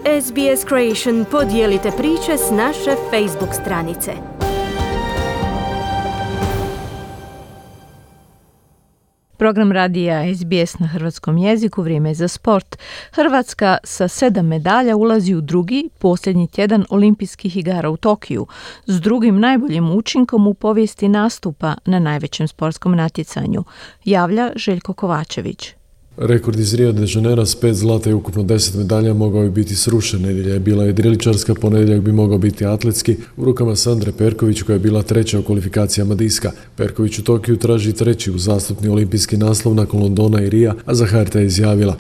SBS Creation podijelite priče s naše Facebook stranice. Program radija SBS na hrvatskom jeziku, vrijeme je za sport. Hrvatska sa 7 medalja ulazi u drugi, posljednji tjedan olimpijskih igara u Tokiju, s drugim najboljim učinkom u povijesti nastupa na najvećem sportskom natjecanju, javlja Željko Kovačević. Rekord iz Rio de Janeira s 5 zlata i ukupno 10 medalja mogao je biti srušen. Nedjelja je bila jedriličarska, ponedjeljak bi mogao biti atletski u rukama Sandre Perković koja je bila treća u kvalifikacijama diska. Perković u Tokiju traži treći uzastopni olimpijski naslov nakon Londona i Rija, a za HRT je izjavila: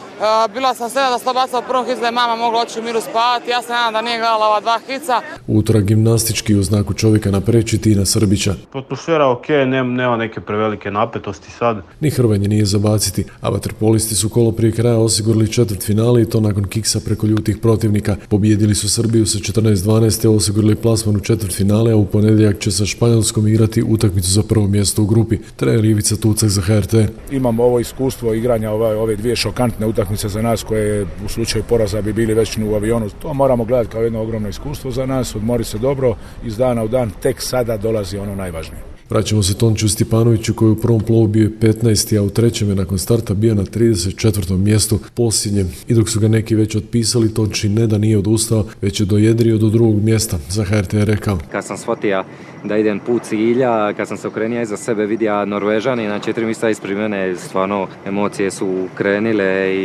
Bila sam sretna da sam bacila u prvom hicu, da je mama mogla oći u miru spavati. Ja sam nadam da nije gledala ova dva hica. Utorak gimnastički u znaku čovjeka napreći Tina Srbića. Atmosfera ok, nema neke prevelike napetosti sad. Ni hrvanje nije zabaciti, a vaterpolisti su kolo prije kraja osigurali četvrtfinale i to nakon kiksa preko ljutih protivnika. Pobijedili su Srbiju sa 14-12 te osigurali plasman u četvrtfinale, a u ponedjeljak će sa Španjolskom igrati utakmicu za prvo mjesto u grupi. Trener Ivica Tucak za HRT. Imamo ovo iskustvo igranja ove dvije šokantne utakmice za nas koje u slučaju poraza bi bili već u avionu. To moramo gledati kao jedno ogromno iskustvo za nas, odmoriti se dobro, iz dana u dan, tek sada dolazi ono najvažnije. Vraćamo se Tončiju Stipanoviću koji u prvom plovu bio je 15. a u trećem je nakon starta bio na 34. mjestu posljednjem. I dok su ga neki već otpisali, Tonči ne da nije odustao, već je dojedrio do drugog mjesta. Za HRT je rekao: Kad sam shvatio da idem put cilja, kad sam se okrenio iza sebe vidio Norvežani na 4 mjesta ispred mene, stvarno emocije su krenile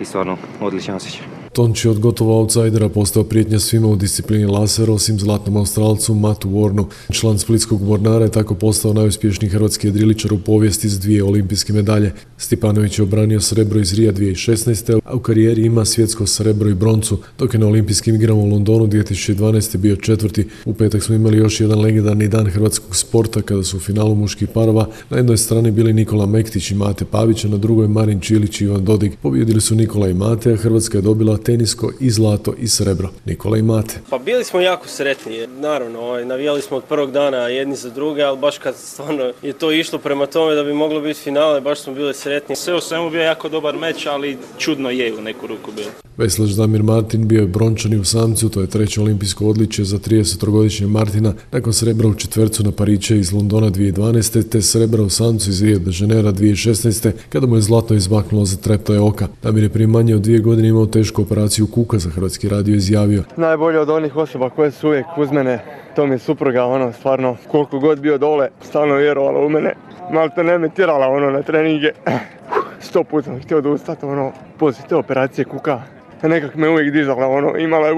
i stvarno odličan osjećaj. Tonči od gotovo outsidera postao prijetnja svima u disciplini laser, osim zlatnom Australcu Mattu Warnu. Član splitskog Mornara je tako postao najuspješniji hrvatski jedriličar u povijesti s 2 olimpijske medalje. Stipanović je obranio srebro iz Rija 2016. a u karijeri ima svjetsko srebro i broncu, dok je na olimpijskim igrama u Londonu 2012. bio četvrti. U petak smo imali još jedan legendarni dan hrvatskog sporta kada su u finalu muških parova na jednoj strani bili Nikola Mektić i Mate Pavić, a na drugoj Marin Čilić i Ivan Dodig. Pobijedili su Nikola i Mate, a Hrvatska je dobila tenisko i zlato i srebro. Nikola i Mate. Pa bili smo jako sretni. Naravno, navijali smo od prvog dana jedni za druge, ali baš kad stvarno je to išlo prema tome da bi moglo biti finale, baš smo bili sretni. Sve u svemu bio jako dobar meč, ali čudno je u neku ruku bilo. Veslač Damir Martin bio je brončani u samcu, to je treće olimpijsko odličje za 33-godišnje Martina, nakon srebra u četvercu na Pariće iz Londona 2012. te srebra u samcu iz Rio de Janeira 2016. kada mu je zlatno izmaknulo za treptaje oka. Damir je prije manje od 2 godine imao tešku operaciju kuka, za Hrvatski radio izjavio: Najbolje od onih osoba koje su uvijek uz mene, to mi je supruga, stvarno, koliko god bio dole, stalno vjerovala u mene. Malte ne me tirala, na treninge. 100 puta sam htio odustati, poslije te operacije kuka. Nekak me uvijek dizala, imala je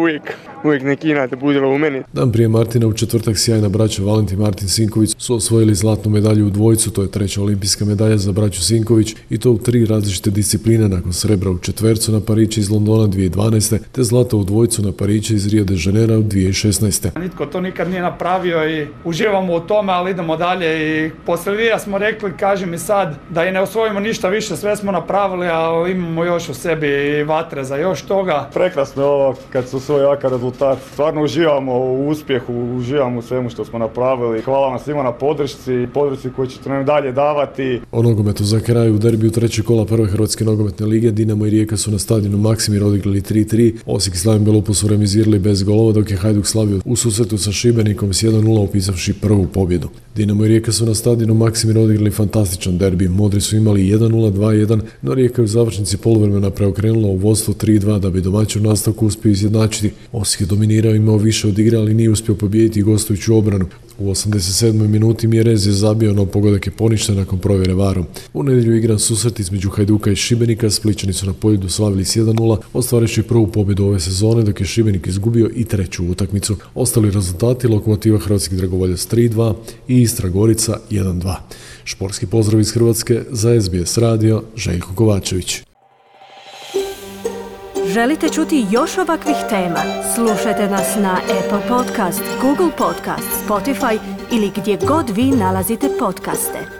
uvijek neki inat budila u meni. Dan prije Martina u četvrtak sjajna braća Valentin Martin Sinković su osvojili zlatnu medalju u dvojcu, to je treća olimpijska medalja za braću Sinković i to u 3 različite discipline nakon srebra u četvercu na Pariće iz Londona 2012. te zlato u dvojcu na Pariće iz Rio de Janeira u 2016. Nitko to nikad nije napravio i uživamo u tome, ali idemo dalje i poslije Rija smo rekli, kaži mi sad, da i ne osvojimo ništa više, sve smo napravili, ali imamo još u sebi i vatre za još toga. Prekrasno je ovo kad su svoj jaka rezultat. Stvarno uživamo u uspjehu, uživamo u svemu što smo napravili. Hvala vam svima na podršci koju ćete nam dalje davati. O nogometu za kraj u derbiju trećeg kola prve Hrvatske nogometne lige Dinamo i Rijeka su na stadionu Maksimir odigrali 3-3. Osijek i Slaven Belupo su remizirali bez golova, dok je Hajduk slavio u susretu sa Šibenikom s 1-0 upisavši prvu pobjedu. Dinamo i Rijeka su na stadionu Maksimir odigrali fantastičan derbi. Modri su imali 1-0, 2-1, no Rijeka je u završnici poluvremena preokrenula u vodstvo 3-2 da bi domaćin u nastavku uspio izjednačiti. Osijek je dominirao, imao više od igre, ali nije uspio pobijediti gostujuću obranu. U 87. minuti Mjerez je zabio, no pogodak je poništen nakon provjere varom. U nedjelju igran susret između Hajduka i Šibenika, Splićani su na Poljudu slavili s 1-0, ostvareći prvu pobjedu ove sezone, dok je Šibenik izgubio i treću utakmicu. Ostali rezultati: Lokomotiva Hrvatskih Dragovoljac 3-2 i Istra Gorica 1-2. Športski pozdrav iz Hrvatske za SBS radio, Željko Kovačević. Želite čuti još ovakvih tema? Slušajte nas na Apple Podcast, Google Podcast, Spotify ili gdje god vi nalazite podcaste.